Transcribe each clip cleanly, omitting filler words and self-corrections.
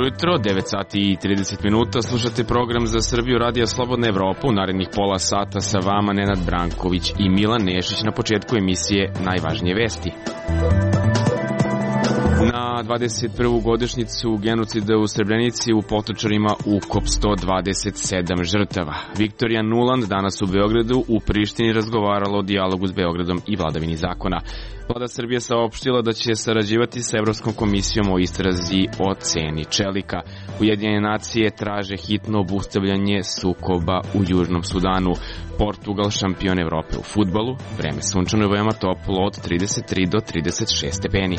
ujutro, 9 sati i 30 minuta, slušate program za Srbiju Radija Slobodna Evropa. U narednih pola sata sa vama Nenad Branković i Milan Nešić. Na početku emisije najvažnije vesti. Na 21. godišnjicu genocida u Srebrenici u Potočarima ukop 127 žrtava. Viktorija Nuland danas u Beogradu, u Prištini razgovarala o dijalogu s Beogradom i vladavini zakona. Vlada Srbije saopštila da će sarađivati sa Evropskom komisijom o istrazi o ceni čelika. Ujedinjene nacije traže hitno obustavljanje sukoba u Južnom Sudanu. Portugal šampion Evrope u fudbalu, vreme sunčano i veoma toplo od 33 do 36 stepeni.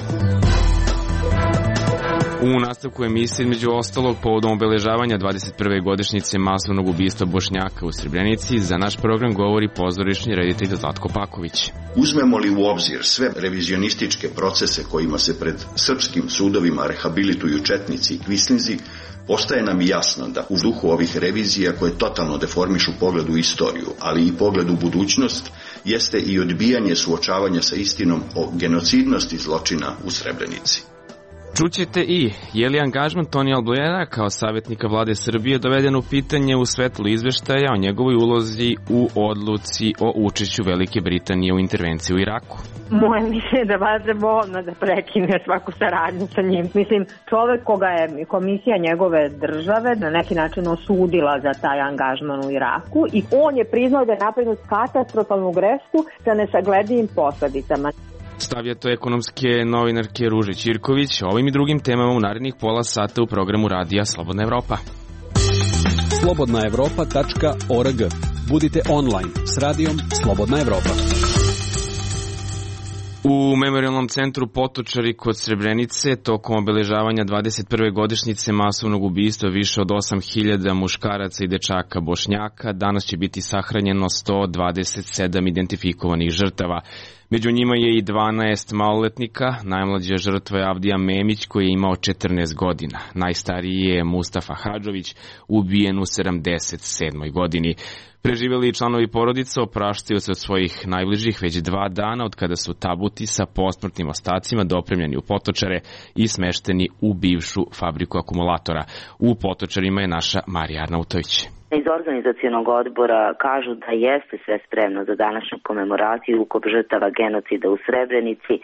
U nastavku emisije, između ostalog, povodom obeležavanja 21. godišnjice masovnog ubistva Bošnjaka u Srebrenici, za naš program govori pozorišni reditelj Zlatko Paković. Uzmemo li u obzir sve revizionističke procese kojima se pred srpskim sudovima rehabilituju četnici i kvislinzi, postaje nam jasno da u duhu ovih revizija koje totalno deformišu pogled u istoriju, ali i pogled u budućnost, jeste i odbijanje suočavanja sa istinom o genocidnosti zločina u Srebrenici. Čućete i je li angažman Tonija Blera kao savjetnika vlade Srbije doveden u pitanje u svetlu izveštaja o njegovoj ulozi u odluci o učešću Velike Britanije u intervenciji u Iraku? Moje mišljenje da vas je bolno da prekine svaku saradnju sa njim. Mislim, čovek koga je komisija njegove države na neki način osudila za taj angažman u Iraku i on je priznao da je napravio katastrofalnu grešku sa nesagledivim posledicama. Stavlja to ekonomske novinarke Ruže Ćirković, ovim i drugim temama u narednih pola sata u programu Radija Slobodna Evropa. slobodnaevropa.org. Budite online s radijom Slobodna Evropa. U Memorijalnom centru Potočari kod Srebrenice tokom obeležavanja 21. godišnjice masovnog ubistva više od 8.000 muškaraca i dečaka Bošnjaka danas će biti sahranjeno 127 identifikovanih žrtava. Među njima je i 12 maloletnika, najmlađa žrtva je Avdija Memić koji je imao 14 godina. Najstariji je Mustafa Hadžović, ubijen u 77. godini. Preživjeli članovi porodica opraštaju se od svojih najbližih već 2 dana od kada su tabuti sa posmrtnim ostacima dopremljeni u Potočare i smešteni u bivšu fabriku akumulatora. U Potočarima je naša Marija Arnautović. Iz organizacionog odbora kažu da jeste sve spremno za današnju komemoraciju ukop žrtava genocida u Srebrenici.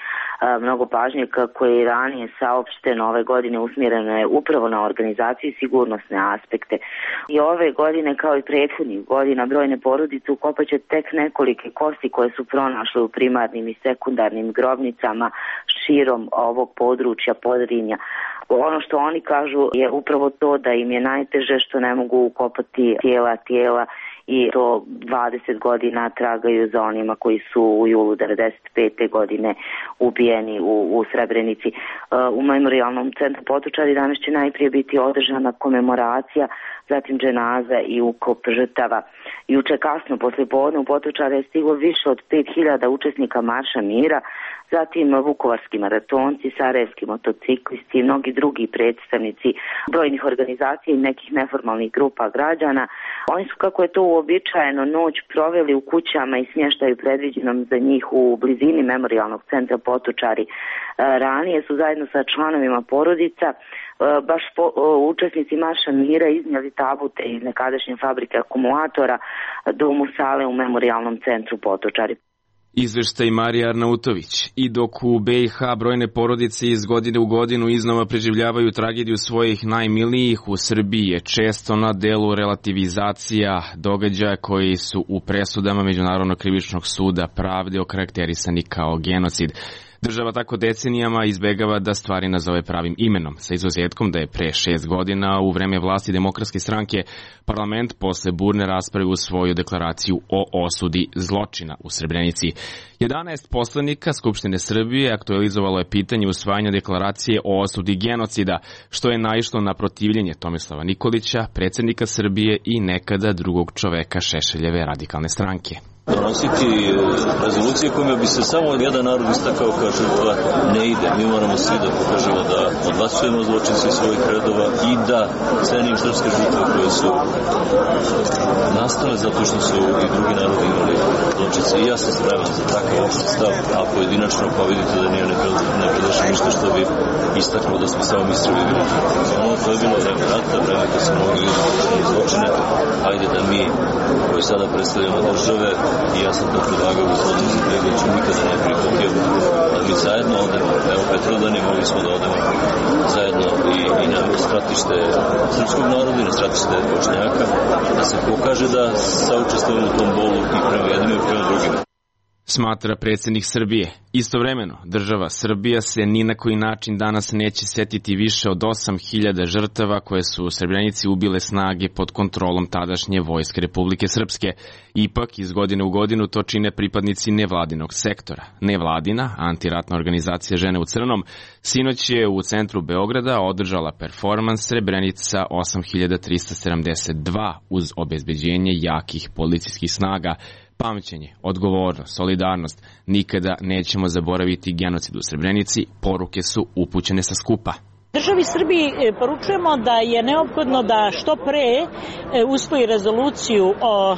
Mnogo pažnje, kako je i ranije saopšteno, ove godine usmjereno je upravo na organizaciju i sigurnosne aspekte. I ove godine, kao i prethodnih godina, brojne porodice ukopaće tek nekolike kosti koje su pronašle u primarnim i sekundarnim grobnicama širom ovog područja Podrinja. Ono što oni kažu je upravo to da im je najteže što ne mogu ukopati tijela i to 20 godina tragaju za onima koji su u julu 95. godine ubijeni u Srebrenici. U Memorijalnom centru Potočari danas će najprije biti održana komemoracija, zatim dženaza i ukop žrtava. Juče kasno poslijepodne u Potočare je stiglo više od 5.000 učesnika Marša mira, zatim vukovarski maratonci, sarajevski motociklisti i mnogi drugi predstavnici brojnih organizacija i nekih neformalnih grupa građana. Oni su, kako je to uobičajeno, noć proveli u kućama i smještaju predviđenom za njih u blizini Memorijalnog centra Potočari. Ranije su zajedno sa članovima porodica baš učesnici Marša mira iznijeli tabute iz nekadašnje fabrike akumulatora do musale u Memorijalnom centru Potočari. Izveštaj Marija Arnautović. I dok u BiH brojne porodice iz godine u godinu iznova preživljavaju tragediju svojih najmilijih, u Srbiji je često na delu relativizacija događaja koji su u presudama Međunarodnog krivičnog suda pravde okarakterisani kao genocid. Država tako decenijama izbegava da stvari nazove pravim imenom, sa izuzetkom da je pre 6 godina u vreme vlasti Demokratske stranke parlament posle burne rasprave usvojio deklaraciju o osudi zločina u Srebrenici. 11 poslanika Skupštine Srbije aktualizovalo je pitanje usvajanja deklaracije o osudi genocida, što je naišlo na protivljenje Tomislava Nikolića, predsjednika Srbije i nekada drugog čoveka Šešeljeve radikalne stranke. Donositi rezolucije kojima bi se samo jedan narod istakao kao žrtva ne ide. Mi moramo svi da pokažemo da odbacujemo zločince svojih redova i da cenimo srpske žrtve koje su nastale zato što su i drugi narodi imali zločince. I ja sam spreman za takav opšti stav, a pojedinačno pa vidite da nije ne predlažem ništa što bi istaklo da smo samo mislili vidimo. To je bilo vreme rata, vreme kad smo mogli vidjeti zločine. Ajde da mi koji sada predstavljamo države, i ja sam to predlagao u slodu za Pregoviću, nikada ne prihvatio, da mi zajedno odemo, evo Petrodani, mogli smo da odemo zajedno i na stratište srpskog naroda i na stratište Bošnjaka, da se pokaže da saučestvujemo u tom bolu i prema jednim i prema drugima. Smatra predsjednik Srbije. Istovremeno, država Srbija se ni na koji način danas neće setiti više od 8.000 žrtava koje su u Srebrenici ubile snage pod kontrolom tadašnje vojske Republike Srpske. Ipak, iz godine u godinu to čine pripadnici nevladinog sektora. Nevladina, antiratna organizacija Žene u crnom, sinoć je u centru Beograda održala performans Srebrenica 8372 uz obezbeđenje jakih policijskih snaga. Pamćenje, odgovornost, solidarnost, nikada nećemo zaboraviti genocid u Srebrenici, poruke su upućene sa skupa. Državi Srbiji poručujemo da je neophodno da što pre usvoji rezoluciju o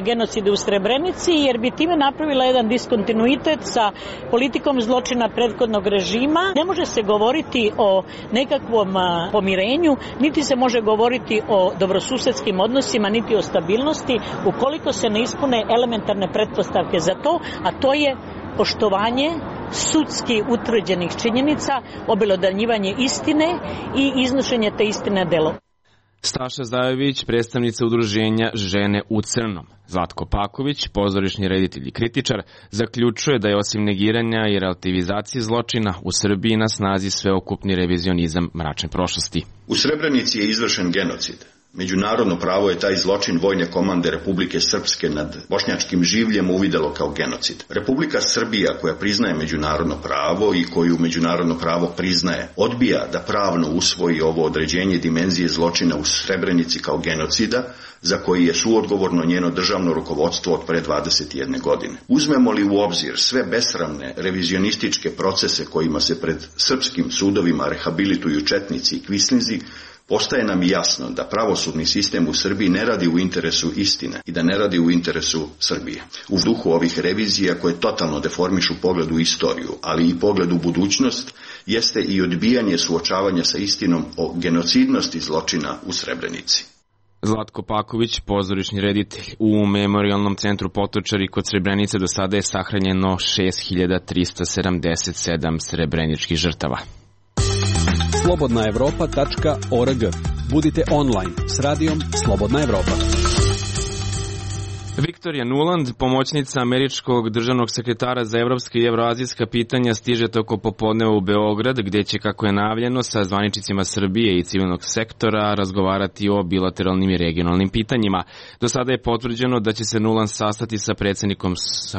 genocidu u Srebrenici, jer bi time napravila jedan diskontinuitet sa politikom zločina prethodnog režima. Ne može se govoriti o nekakvom pomirenju, niti se može govoriti o dobrosusedskim odnosima, niti o stabilnosti, ukoliko se ne ispune elementarne pretpostavke za to, a to je poštovanje sudski utvrđenih činjenica, obelodanjivanje istine i iznošenje te istine delo. Staša Zajović, predstavnica udruženja Žene u crnom. Zlatko Paković, pozorišni reditelj i kritičar, zaključuje da je osim negiranja i relativizacije zločina u Srbiji na snazi sveokupni revizionizam mračne prošlosti. U Srebrenici je izvršen genocid. Međunarodno pravo je taj zločin vojne komande Republike Srpske nad bošnjačkim življem uvidelo kao genocid. Republika Srbija, koja priznaje međunarodno pravo i koju međunarodno pravo priznaje, odbija da pravno usvoji ovo određenje dimenzije zločina u Srebrenici kao genocida, za koji je suodgovorno njeno državno rukovodstvo od pre 21 godine. Uzmemo li u obzir sve besramne revizionističke procese kojima se pred srpskim sudovima rehabilituju četnici i kvislinzi, postaje nam jasno da pravosudni sistem u Srbiji ne radi u interesu istine i da ne radi u interesu Srbije. U duhu ovih revizija koje totalno deformišu pogled u istoriju, ali i pogled u budućnost, jeste i odbijanje suočavanja sa istinom o genocidnosti zločina u Srebrenici. Zlatko Paković, pozorišni reditelj. U Memorijalnom centru Potočari kod Srebrenice do sada je sahranjeno 6377 srebreničkih žrtava. slobodnaevropa.org. Budite online s radijom Slobodna Evropa. Viktorija Nuland, pomoćnica američkog državnog sekretara za evropska i evroazijska pitanja, stiže toko popodneva u Beograd, gdje će, kako je najavljeno, sa zvaničnicima Srbije i civilnog sektora razgovarati o bilateralnim i regionalnim pitanjima. Do sada je potvrđeno da će se Nuland sastati sa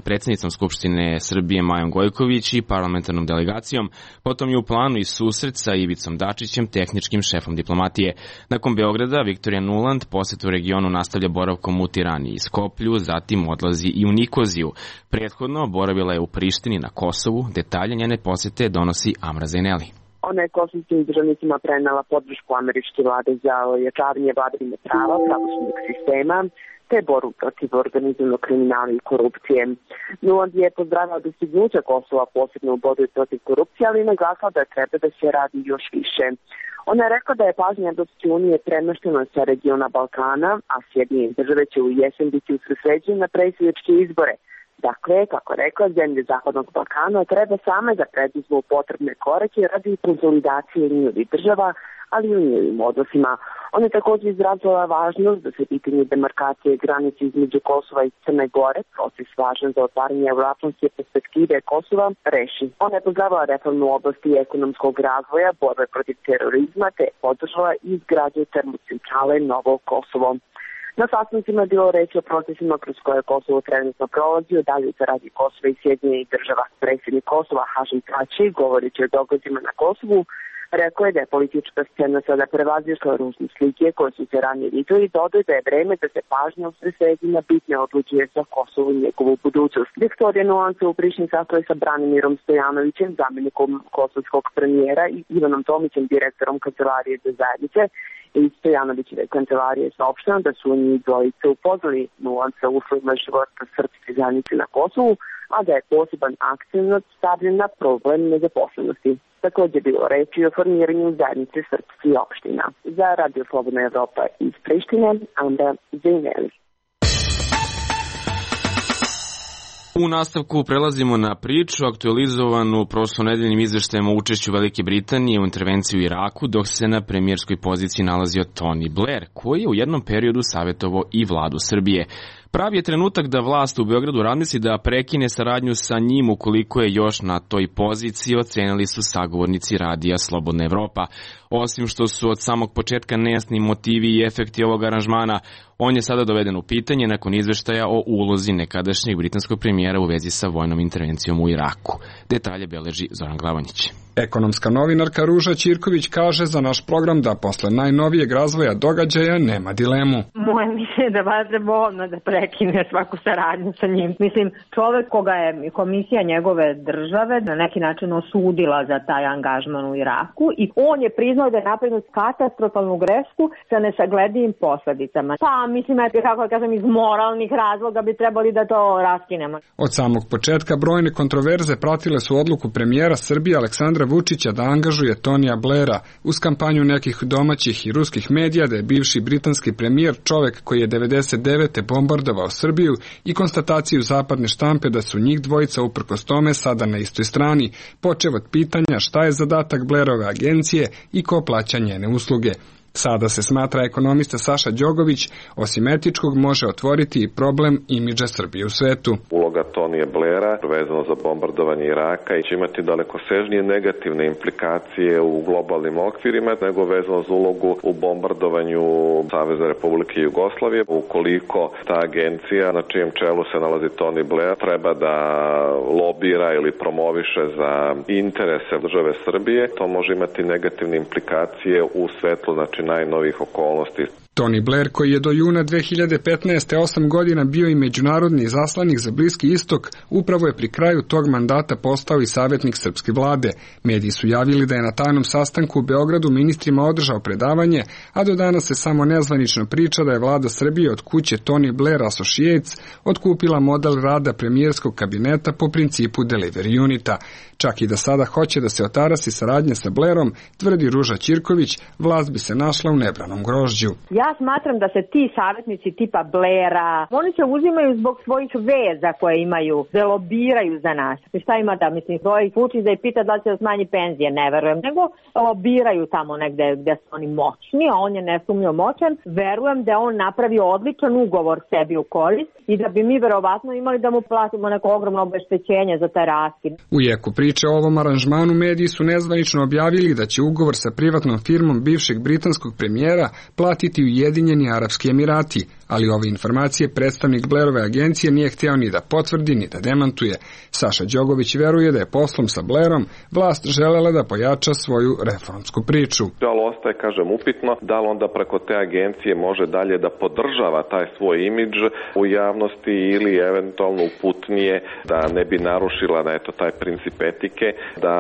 predsjednicom Skupštine Srbije Majom Gojković i parlamentarnom delegacijom. Potom je u planu i susret sa Ivicom Dačićem, tehničkim šefom diplomatije. Nakon Beograda, Viktorija Nuland posjetu regionu nastavlja boravkom u Tirani i Skoplju, zatim odlazi i u Nikoziju. Prethodno boravila je u Prištini na Kosovu. Detalje njene posjete donosi Amra Zaineli. Ona je kosovskim državnicima prenela podršku američke vlade za ojačavanje vladavine prava, pravosudnog sistema, te borbu protiv organizovanog kriminala i korupcije. Nuland je pozdravila dostignuća Kosova, posebno u borbi protiv korupcije, ali naglasila da treba da se radi još više. Ona je rekla da je pažnja Evropske unije premeštena sa regiona Balkana, a Sjedinjene države će u jesen biti usredsređene na predsjedničke izbore. Dakle, kako je rekla, zemlje Zapadnog Balkana treba same da preduzmu potrebne korake radi konsolidacije njihovih država, ali i u njihovim odnosima. Ona je također izrazila važnost da se pitanje demarkacije granice između Kosova i Crne Gore, proces važan za otvaranje euroatlantske perspektive Kosova, reši. Ona je pozdravila reformu u oblasti ekonomskog razvoja, borbe protiv terorizma, te podržala izgradnju termocentrale Novo Kosovo. Na sastancima je bilo reći o procesima kroz koje Kosovo trenutno prolazi, o daljoj saradnji Kosova i Sjedinjenih država. Predsjednik Kosova Hašim Tači, govoreći o događajima na Kosovu, Rekao je da je politička scena sada prevazišla ružne slike koje su se ranije videli i dodao da je vreme da se pažnja usredsredi na bitne odlučije za Kosovo i njegovu budućnost. Viktorija Nuan se u Prištini sastala sa Branimirom Stojanovićem, zamjenikom kosovskog premijera, i Ivanom Tomićem, direktorom Kancelarije za zajednice. I Stojanovićeve kancelarije je saopšteno da su njih dvojice upoznali Nuan sa uslovima života srpske zajednice na Kosovu, a da je poseban akcenat stavljen na problem nezaposlenosti. Također je bilo reči o formiranju zajednice srpskih opština. Za Radio Slobodna Evropa iz Prištine, Anda Zejneli. U nastavku prelazimo na priču aktualizovanu prošlonedeljnim izveštajem o učešću Velike Britanije u intervenciju u Iraku, dok se na premijerskoj poziciji nalazio Tony Blair, koji je u jednom periodu savjetovao i vladu Srbije. Pravi je trenutak da vlast u Beogradu razmisli da prekine saradnju sa njim ukoliko je još na toj poziciji, ocenili su sagovornici Radija Slobodna Evropa. Osim što su od samog početka nejasni motivi i efekti ovog aranžmana, on je sada doveden u pitanje nakon izveštaja o ulozi nekadašnjeg britanskog premijera u vezi sa vojnom intervencijom u Iraku. Detalje beleži Zoran Glavonjić. Ekonomska novinarka Ruža Ćirković kaže za naš program da posle najnovijeg razvoja događaja nema dilemu. Moje mišljenje da vas treba odmah da prekine svaku saradnju sa njim. Mislim, čovek koga je komisija njegove države na neki način osudila za taj angažman u Iraku i on je priznao da je napravio katastrofalnu grešku sa nesagledivim posledicama. Pa, mislim, kako kažem, iz moralnih razloga bi trebali da to raskinemo. Od samog početka brojne kontroverze pratile su odluku premijera Srbije Aleksandra Vučića da angažuje Tonija Blaira uz kampanju nekih domaćih i ruskih medija da je bivši britanski premijer čovek koji je 99. bombardovao Srbiju i konstataciju zapadne štampe da su njih dvojica uprkos tome sada na istoj strani, počev od pitanja šta je zadatak Blairove agencije i ko plaća njene usluge. Sada se smatra ekonomista Saša Đogović, osim etičkog može otvoriti i problem imidža Srbije u svetu. Uloga Tonija Blaira vezano za bombardovanje Iraka će imati dalekosežnije negativne implikacije u globalnim okvirima nego vezano za ulogu u bombardovanju Saveza Republike Jugoslavije. Ukoliko ta agencija na čijem čelu se nalazi Tony Blair treba da lobira ili promoviše za interese države Srbije, to može imati negativne implikacije u svetlu najnovih okolnosti. Tony Blair, koji je do juna 2015. 8 godina bio i međunarodni izaslanik za Bliski istok, upravo je pri kraju tog mandata postao i savjetnik srpske vlade. Mediji su javili da je na tajnom sastanku u Beogradu ministrima održao predavanje, a do danas se samo nezvanično priča da je vlada Srbije od kuće Tony Blair Associates otkupila model rada premijerskog kabineta po principu delivery unita. Čak i da sada hoće da se otarasi saradnje sa Blairom, tvrdi Ruža Ćirković, vlast bi se našla u nebranom grožđu. Ja smatram da se ti savjetnici tipa Blaira, oni se uzimaju zbog svojih veza koje imaju, da lobiraju za nas. I šta ima da, mislim, svojih Vučić da je pita da će da smanji penzije, ne verujem, nego lobiraju tamo negde gde su oni moćni, a on je nesumnjivo moćan. Verujem da on napravio odličan ugovor sebi u korist i da bi mi verovatno imali da mu platimo neko ogromno obeštećenje za taj raskid. U jeku priče o ovom aranžmanu mediji su nezvanično objavili da će ugovor sa privatnom firmom bivšeg britanskog premijera platiti Ujedinjeni Arapski Emirati, ali ove informacije predstavnik Blairove agencije nije hteo ni da potvrdi ni da demantuje. Saša Đogović veruje da je poslom sa Blairom vlast želela da pojača svoju reformsku priču. Ali ostaje, kažem, upitno da li onda preko te agencije može dalje da podržava taj svoj imidž u javnosti ili eventualno uputnije da ne bi narušila taj princip etike da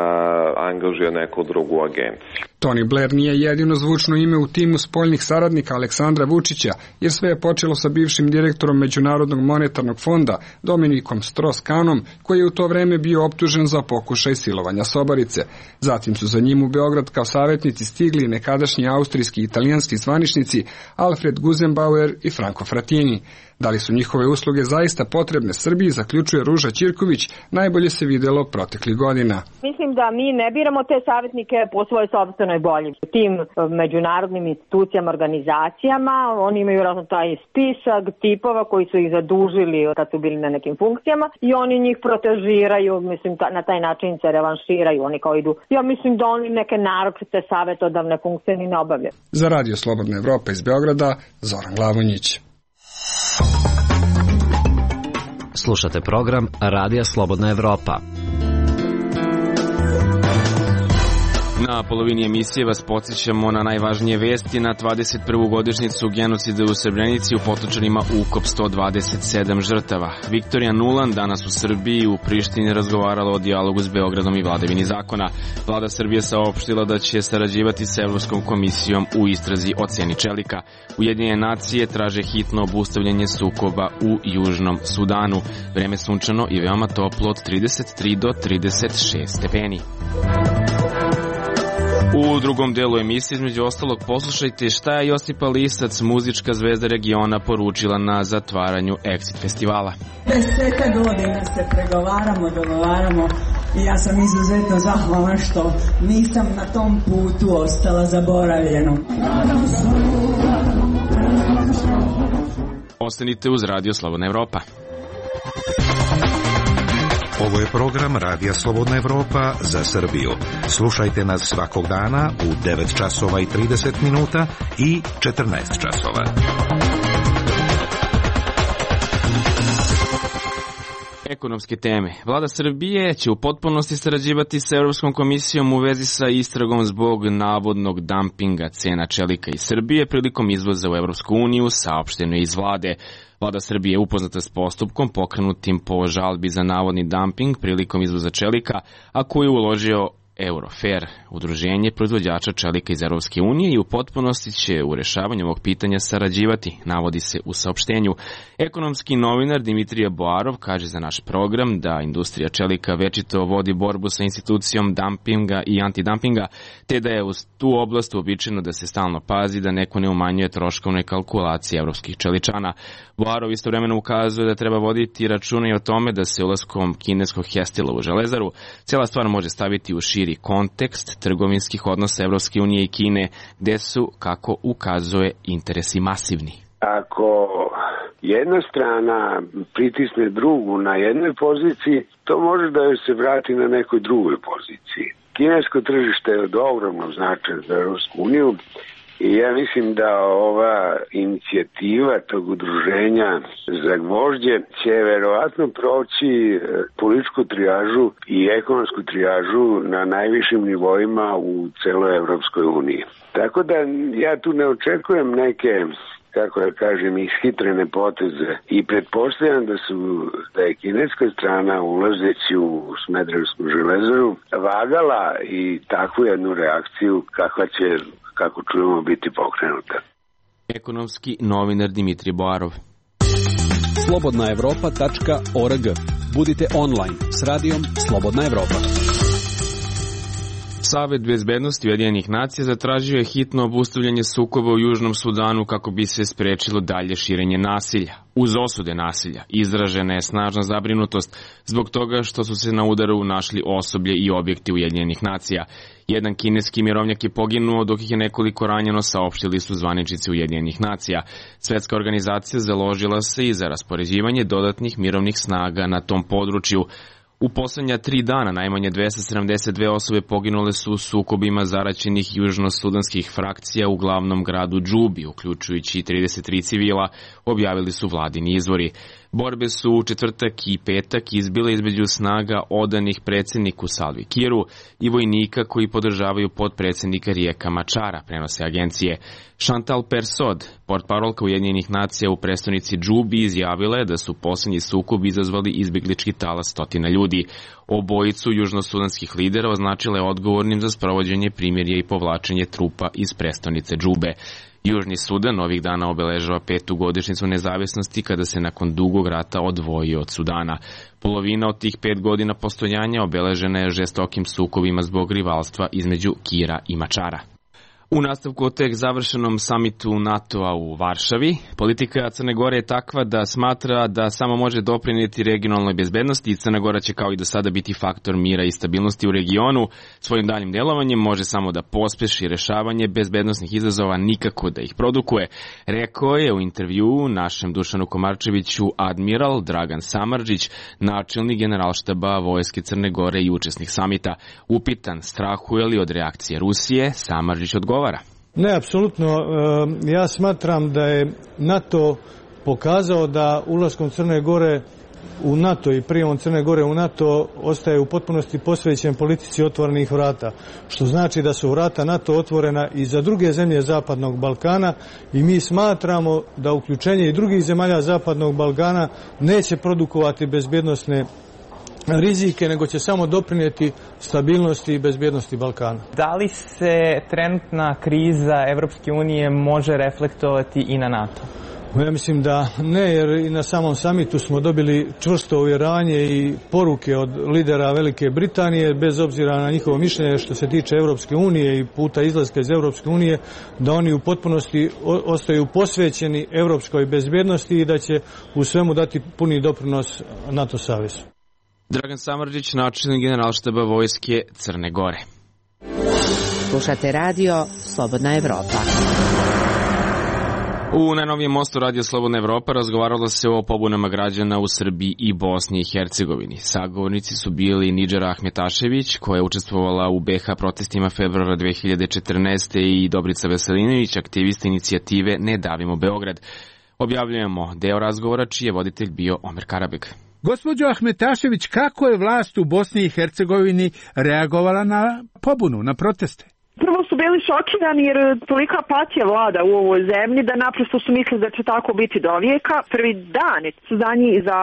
angažuje neku drugu agenciju. Tony Blair nije jedino zvučno ime u timu spoljnih saradnika Aleksandra Vučića, jer sve je počelo sa bivšim direktorom Međunarodnog monetarnog fonda Dominikom Strauss-Kahnom, koji je u to vreme bio optužen za pokušaj silovanja sobarice. Zatim su za njim u Beograd kao savjetnici stigli nekadašnji austrijski i italijanski zvaničnici Alfred Gusenbauer i Franco Frattini. Da li su njihove usluge zaista potrebne Srbiji, zaključuje Ruža Ćirković, najbolje se videlo proteklih godina. Mislim da mi ne biramo te savjetnike po svojoj sopstvenoj volji. Tim međunarodnim institucijama, organizacijama, oni imaju razno taj spisak tipova koji su ih zadužili kad su bili na nekim funkcijama i oni njih protežiraju, mislim na taj način se revanširaju, oni kao idu. Ja mislim da oni neke naročite savjetodavne funkcije ni ne obavljaju. Za Radio Slobodna Evropa iz Beograda, Zoran Glavonjić. Slušate program Radija Slobodna Evropa. Na polovini emisije vas podsjećamo na najvažnije vesti. Na 21. godišnjicu genocida u Srebrenici u Potočanima ukop 127 žrtava. Viktorija Nuland danas u Srbiji u Prištini razgovarala o dijalogu s Beogradom i vladavini zakona. Vlada Srbije saopštila da će sarađivati s Evropskom komisijom u istrazi o ceni čelika. Ujedinjene nacije traže hitno obustavljanje sukoba u Južnom Sudanu. Vreme sunčano i veoma toplo od 33 do 36 stepeni. U drugom delu emisije, između ostalog, poslušajte šta je Josipa Lisac, muzička zvezda regiona, poručila na zatvaranju Exit festivala. 10 godina se pregovaramo, dogovaramo i ja sam izuzetno zahvalna što nisam na tom putu ostala zaboravljeno. Ostanite uz Radio Slobodna Evropa. Ovo je program Radija Slobodna Evropa za Srbiju. Slušajte nas svakog dana u 9 časova i 30 minuta i 14 časova. Ekonomske teme. Vlada Srbije će u potpunosti sarađivati sa Evropskom komisijom u vezi sa istragom zbog navodnog dampinga cena čelika iz Srbije prilikom izvoza u Evropsku uniju, saopšteno iz vlade. Vlada Srbije je upoznata s postupkom pokrenutim po žalbi za navodni damping prilikom izvoza čelika, a koji je uložio Eurofair, udruženje proizvođača čelika iz Evropske unije, i u potpunosti će u rešavanju ovog pitanja sarađivati, navodi se u saopštenju. Ekonomski novinar Dimitrije Boarov kaže za naš program da industrija čelika večito vodi borbu sa institucijom dampinga i antidampinga, te da je u tu oblast uobičajeno da se stalno pazi da neko ne umanjuje troškovne kalkulacije evropskih čeličana. Boarov istovremeno ukazuje da treba voditi računa i o tome da se ulaskom kineskog Hestila u Železaru cijela stvar može staviti u širi kontekst trgovinskih odnosa Evropske unije i Kine, gde su, kako ukazuje, interesi masivni. Ako jedna strana pritisne drugu na jednoj poziciji, to može da joj se vrati na nekoj drugoj poziciji. Kinesko tržište je od ogromnog značaja za Evropsku uniju i ja mislim da ova inicijativa tog udruženja za gvožđe će verovatno proći političku trijažu i ekonomsku trijažu na najvišim nivoima u celoj Evropskoj uniji. Tako da ja tu ne očekujem neke, kako da kažem, ishitrene poteze i pretpostavljam da je kineska strana ulazeći u Smederevsku železaru vagala i takvu jednu reakciju kakva će, kako čujemo, biti pokrenuta. Ekonomski novinar Dimitrije Boarov. slobodnaevropa.org. Budite online s radijom Slobodna Evropa. Savet bezbednosti Ujedinjenih nacija zatražio je hitno obustavljanje sukoba u Južnom Sudanu kako bi se sprečilo dalje širenje nasilja. Uz osude nasilja izražena je snažna zabrinutost zbog toga što su se na udaru našli osoblje i objekti Ujedinjenih nacija. Jedan kineski mirovnjak je poginuo, dok ih je nekoliko ranjeno, saopštili su zvaničnici Ujedinjenih nacija. Svetska organizacija založila se i za raspoređivanje dodatnih mirovnih snaga na tom području. U poslednja 3 dana najmanje 272 osobe poginule su u sukobima zaraćenih južnosudanskih frakcija u glavnom gradu Džubi, uključujući 33 civila, objavili su vladini izvori. Borbe su u četvrtak i petak izbile između snaga odanih predsjedniku Salvi Kiru i vojnika koji podržavaju podpredsjednika Rijeka Mačara, prenose agencije. Chantal Persod, portparolka Ujedinjenih nacija u prestonici Džubi, izjavila je da su posljednji sukob izazvali izbjeglički talas stotina ljudi. Obojicu južnosudanskih lidera označila je odgovornim za sprovođenje primirja i povlačenje trupa iz prestonice Džube. Južni Sudan ovih dana obeležava 5. godišnjicu nezavisnosti kada se nakon dugog rata odvojio od Sudana. Polovina od tih 5 godina postojanja obeležena je žestokim sukobima zbog rivalstva između Kira i Mačara. U nastavku o tek završenom samitu NATO-a u Varšavi, politika Crne Gore je takva da smatra da samo može doprinijeti regionalnoj bezbednosti i Crna Gora će kao i do sada biti faktor mira i stabilnosti u regionu. Svojim daljim delovanjem može samo da pospeši rešavanje bezbednosnih izazova, nikako da ih produkuje. Rekao je u intervjuu našem Dušanu Komarčeviću admiral Dragan Samardžić, načelnik generalštaba Vojske Crne Gore i učesnik samita. Upitan strahuje li od reakcije Rusije, Samardžić odgovara. Ne, apsolutno. Ja smatram da je NATO pokazao da ulaskom Crne Gore u NATO i prijemom Crne Gore u NATO ostaje u potpunosti posvećen politici otvorenih vrata, što znači da su vrata NATO otvorena i za druge zemlje Zapadnog Balkana i mi smatramo da uključenje i drugih zemalja Zapadnog Balkana neće produkovati bezbjednosne rizike, nego će samo doprinijeti stabilnosti i bezbjednosti Balkana. Da li se trenutna kriza Evropske unije može reflektovati i na NATO? Ja mislim da ne, jer i na samom samitu smo dobili čvrsto uvjeravanje i poruke od lidera Velike Britanije, bez obzira na njihovo mišljenje što se tiče Evropske unije i puta izlaska iz Evropske unije, da oni u potpunosti ostaju posvećeni evropskoj bezbjednosti i da će u svemu dati puni doprinos NATO savezu. Dragan Samardžić, načelnik Generalštaba Vojske Crne Gore. Slušate radio Slobodna Evropa. U najnovijem mostu Radio Slobodna Evropa razgovaralo se o pobunama građana u Srbiji i Bosni i Hercegovini. Sagovornici su bili Nidžara Ahmetašević, koja je učestvovala u BiH protestima februara 2014. i Dobrica Veselinović, aktivista inicijative Ne davimo Beograd. Objavljujemo deo razgovora čiji je voditelj bio Omer Karabek. Gospođo Ahmetašević, kako je vlast u Bosni i Hercegovini reagovala na pobunu, na proteste? Prvo su bili šokirani jer tolika apatija vlada u ovoj zemlji da naprosto su mislili da će tako biti do vijeka. Prvi dan su za njih, za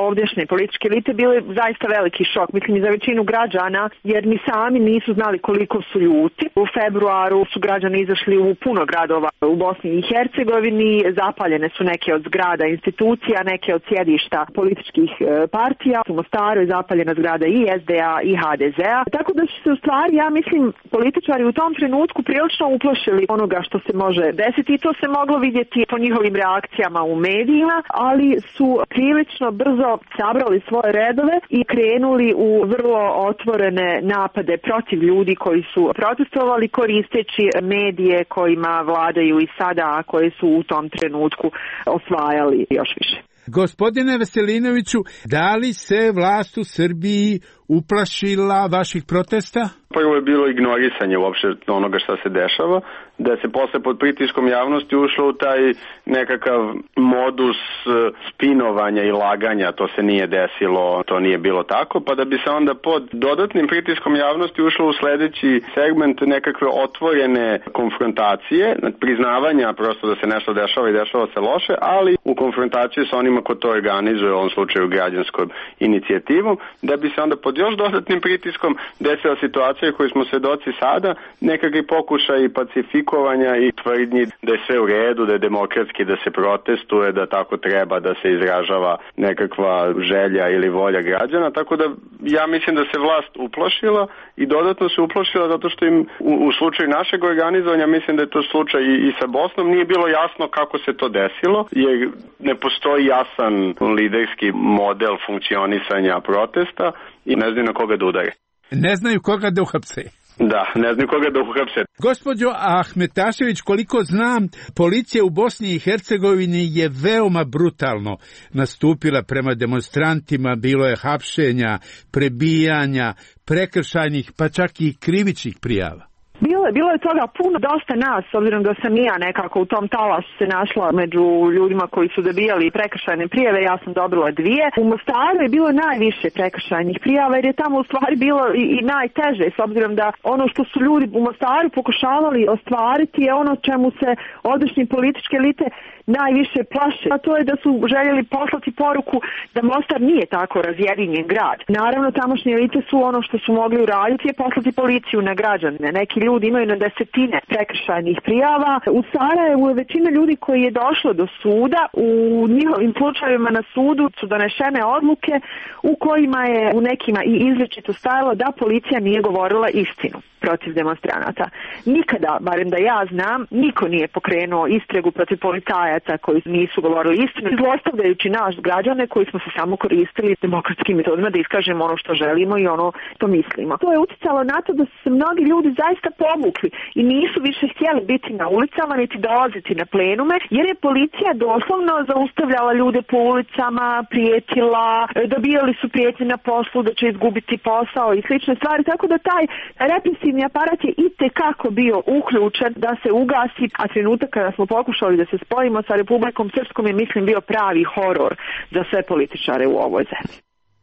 ovdješnje političke elite, bili zaista veliki šok. Mislim i za većinu građana, jer ni sami nisu znali koliko su ljuti. U februaru su građani izašli u puno gradova u Bosni i Hercegovini. Zapaljene su neke od zgrada institucija, neke od sjedišta političkih partija. U Mostaru je zapaljena zgrada i SDA i HDZ-a. Tako da su se u stvari, ja mislim, političari u tom trenutku prilično uplašili onoga što se može desiti i to se moglo vidjeti po njihovim reakcijama u medijima, ali su prilično brzo sabrali svoje redove i krenuli u vrlo otvorene napade protiv ljudi koji su protestovali koristeći medije kojima vladaju i sada, a koje su u tom trenutku osvajali još više. Gospodine Veselinoviću, da li se vlast u Srbiji uplašila vaših protesta? Prvo je bilo ignorisanje uopšte onoga šta se dešava, da se posle pod pritiskom javnosti ušlo u taj nekakav modus spinovanja i laganja, to se nije desilo, to nije bilo tako, pa da bi se onda pod dodatnim pritiskom javnosti ušlo u sledeći segment nekakve otvorene konfrontacije, priznavanja prosto da se nešto dešava i dešava se loše, ali u konfrontaciju sa onima ko to organizuje, u ovom slučaju građanskom inicijativom, da bi se onda pod još dodatnim pritiskom desila situacija koji smo svedoci sada, nekakvi pokušaj pacifikovanja i tvrdnji da je sve u redu, da je demokratski, da se protestuje, da tako treba da se izražava nekakva želja ili volja građana, tako da ja mislim da se vlast uplašila i dodatno se uplašila zato što im u slučaju našeg organizovanja, mislim da je to slučaj i sa Bosnom, nije bilo jasno kako se to desilo, jer ne postoji jasan liderski model funkcionisanja protesta i ne znaju na koga da udare. Ne znaju koga da uhapse. Da, ne znaju koga da uhapse. Gospođo Ahmetašević, koliko znam, policija u Bosni i Hercegovini je veoma brutalno nastupila prema demonstrantima, bilo je hapšenja, prebijanja, prekršajnih, pa čak i krivičnih prijava. Bilo je toga puno, dosta nas, s obzirom da sam i ja nekako u tom talasu se našla među ljudima koji su dobijali prekršajne prijave, ja sam dobila 2. U Mostaru je bilo najviše prekršajnih prijava jer je tamo u stvari bilo i najteže, s obzirom da ono što su ljudi u Mostaru pokušavali ostvariti je ono čemu se odašnje političke elite najviše plaše, a to je da su željeli poslati poruku da Mostar nije tako razjedinjen grad. Naravno, tamošnje elite su ono što su mogli uraditi je poslati policiju na građane. Neki ljudi imaju na desetine prekršajnih prijava. U Sarajevu je većina ljudi koji je došlo do suda, u njihovim slučajevima na sudu su donešene odluke u kojima je u nekima i izričito stajalo da policija nije govorila istinu protiv demonstranata. Nikada, barem da ja znam, niko nije pokrenuo istragu protiv policajaca koji nisu govorili istinu, zlostavljajući naš građane koji smo se samo koristili demokratskim metodima da iskažemo ono što želimo i ono što mislimo. To je uticalo na to da su se mnogi ljudi zaista povukli i nisu više htjeli biti na ulicama niti dolaziti na plenume, jer je policija doslovno zaustavljala ljude po ulicama, prijetila, dobijali su prijetnje na poslu da će izgubiti posao i slične stvari, tako da taj represivni aparat je itekako bio uključen da se ugasi, a trenutak kada smo pokušali da se spojimo sa Republikom Srpskom je, mislim, bio pravi horor za sve političare u ovoj zemlji.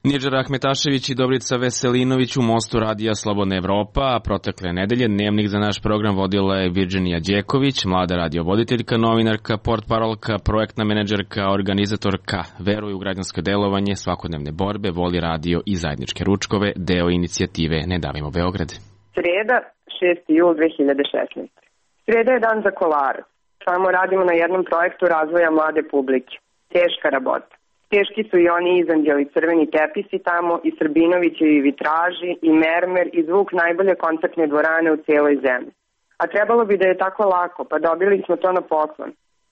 Nidžar Ahmetašević i Dobrica Veselinović u Mostu radija Slobodna Evropa, a protekle nedelje dnevnik za naš program vodila je Virginija Đeković, mlada radiovoditeljka, novinarka, portparolka, projektna menadžerka, organizatorka, veruje u građansko delovanje, svakodnevne borbe, voli radio i zajedničke ručkove, deo inicijative Ne davimo Beograd. Sreda, 6. jul 2016. Sreda je dan za Kolarac. Samo radimo na jednom projektu razvoja mlade publike. Teška rabota. Teški su i oni izanđeli crveni tepisi tamo, i Srbinovićevi vitraži, i mermer, i zvuk najbolje koncertne dvorane u cijeloj zemlji. A trebalo bi da je tako lako, pa dobili smo to na poklon.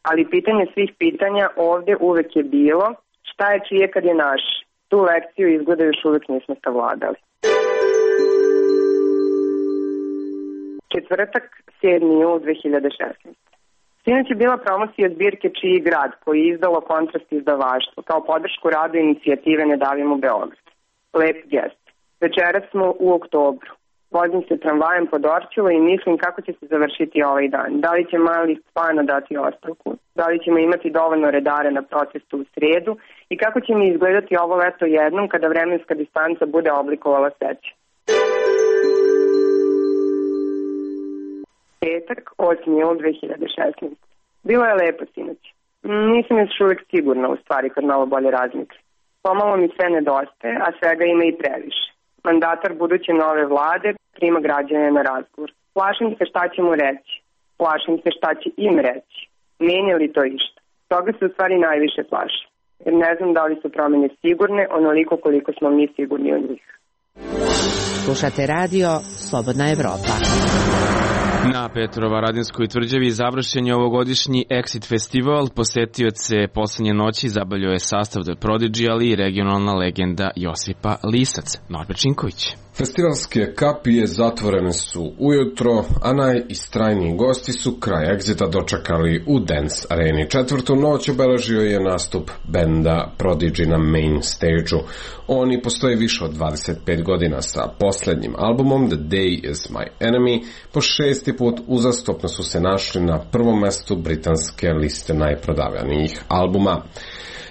Ali pitanje svih pitanja ovdje uvek je bilo, šta je čije kad je naš? Tu lekciju izgleda još uvek nismo savladali. Četvrtak, 7. jul 2016. Sinoć je bila promocija zbirke Čiji grad, koji je izdalo Kontrast izdavaštvo, kao podršku radu inicijative Ne davimo Beograd. Lep gest. Večeras smo u oktobru. Vozim se tramvajem po Dorćolu i mislim kako će se završiti ovaj dan. Da li će mali Spana dati ostavku? Da li ćemo imati dovoljno redare na protestu u sredu? I kako će mi izgledati ovo leto jednom kada vremenska distanca bude oblikovala seću? Petak, 8. jul 2016. Bilo je lepo sinoć. Nisam još uvijek sigurna, u stvari, kad malo bolje razmislim. Pomalo mi sve nedostaje, a svega ima i previše. Mandatar buduće nove vlade prima građane na razgovor. Plašim se šta će mu reći. Plašim se šta će im reći. Menja li to išta? Toga se u stvari najviše plašim. Jer ne znam da li su promjene sigurne, onoliko koliko smo mi sigurni od njih. Slušate radio Slobodna Evropa. Na Petrovaradinskoj tvrđavi završen je ovogodišnji Exit festival. Posetioce poslednje noći zabavljao je sastav The Prodigy, ali i regionalna legenda Josipa Lisac. Norbert Činković. Festivalske kapije zatvorene su ujutro, a najistrajniji gosti su kraj Exita dočekali u Dance Areni. Četvrtu noć obeležio je nastup benda Prodigy na main stage-u. Oni postoje više od 25 godina sa poslednjim albumom The Day Is My Enemy. Po 6. put uzastopno su se našli na prvom mestu britanske liste najprodavanijih albuma.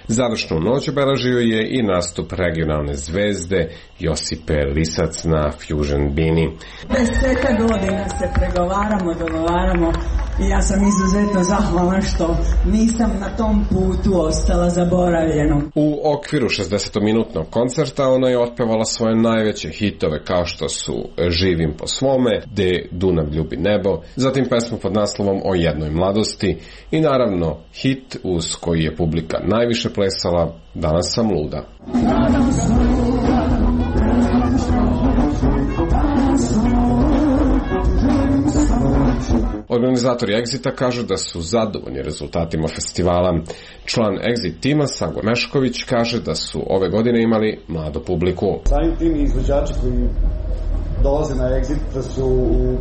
Završnu noć obeležio je i nastup regionalne zvezde Josipe Lisac na Fusion Bini. 10 godina se pregovaramo, dogovaramo i ja sam izuzetno zahvalna što nisam na tom putu ostala zaboravljeno. U okviru 60-minutnog koncerta ona je otpevala svoje najveće hitove kao što su Živim po svome, De Dunav ljubi nebo, zatim pesmu pod naslovom O jednoj mladosti i naravno hit uz koji je publika najviše plesala Danas sam luda. Organizatori Exita kažu da su zadovoljni rezultatima festivala. Član Exit tima Sago Mešković kaže da su ove godine imali mladu publiku. Samim tim izvođači koji dolaze na Exit da su u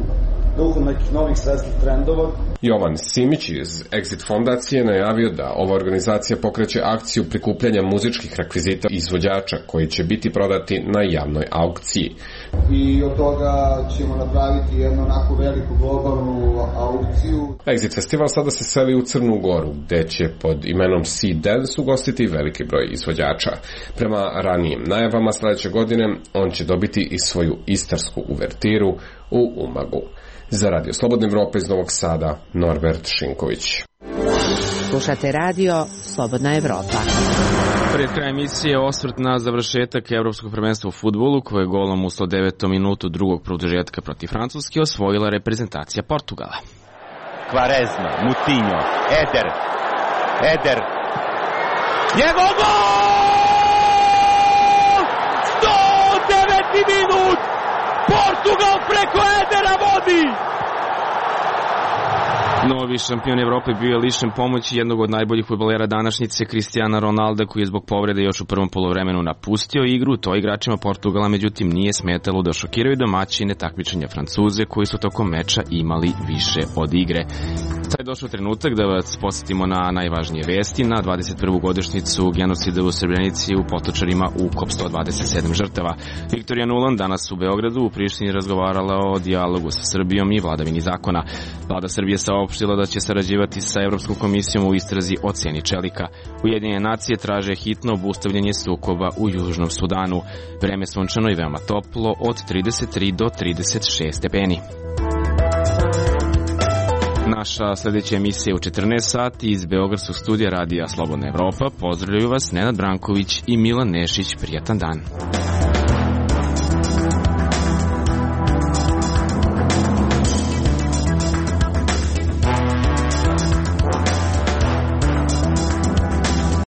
duhu nekih novih svetskih trendova. Jovan Simić iz Exit fondacije najavio da ova organizacija pokreće akciju prikupljanja muzičkih rekvizita izvođača koji će biti prodati na javnoj aukciji. I od toga ćemo napraviti jednu onako veliku globalnu aukciju. Exit festival sada se seli u Crnu Goru, gde će pod imenom Sea Dance ugostiti veliki broj izvođača. Prema ranijim najavama sledeće godine on će dobiti i svoju istarsku uvertiru u Umagu. Za Radio Slobodna Evropa iz Novog Sada, Norbert Šinković. Slušate radio Slobodna Evropa. Pred kraj emisije osvrt na završetak Evropskog prvenstva u fudbalu koje je golom u 109. minutu drugog produžetka protiv Francuske osvojila reprezentacija Portugala. Quaresma, Moutinho, Eder. Njegov gol! 109. minut! Portugal preko Edera vodi! Novi šampion Evrope bio je lišen pomoći jednog od najboljih fudbalera današnjice, Cristiana Ronalda, koji je zbog povrede još u prvom poluvremenu napustio igru. To igračima Portugala međutim nije smetalo da šokiraju domaćine takmičenja Francuze, koji su tokom meča imali više od igre. Sad je došao trenutak da vas podsjetimo na najvažnije vesti. Na 21. godišnjicu genocida u Srebrenici u Potočarima ukop 127 žrtava. Viktorija Nuland danas u Beogradu u Prištini razgovarala o dijalogu sa Srbijom i vladavini zakona. Vlada Srbije saopštila da će sarađivati sa Evropskom komisijom u istrazi o ceni čelika. Ujedinjene nacije traže hitno obustavljanje sukoba u Južnom Sudanu. Vreme sunčano i veoma toplo od 33 do 36 stepeni. Naša sljedeća emisija je u 14 sati iz Beogradskog studija Radija Slobodna Evropa. Pozdravljaju vas Nenad Branković i Milan Nešić. Prijatan dan.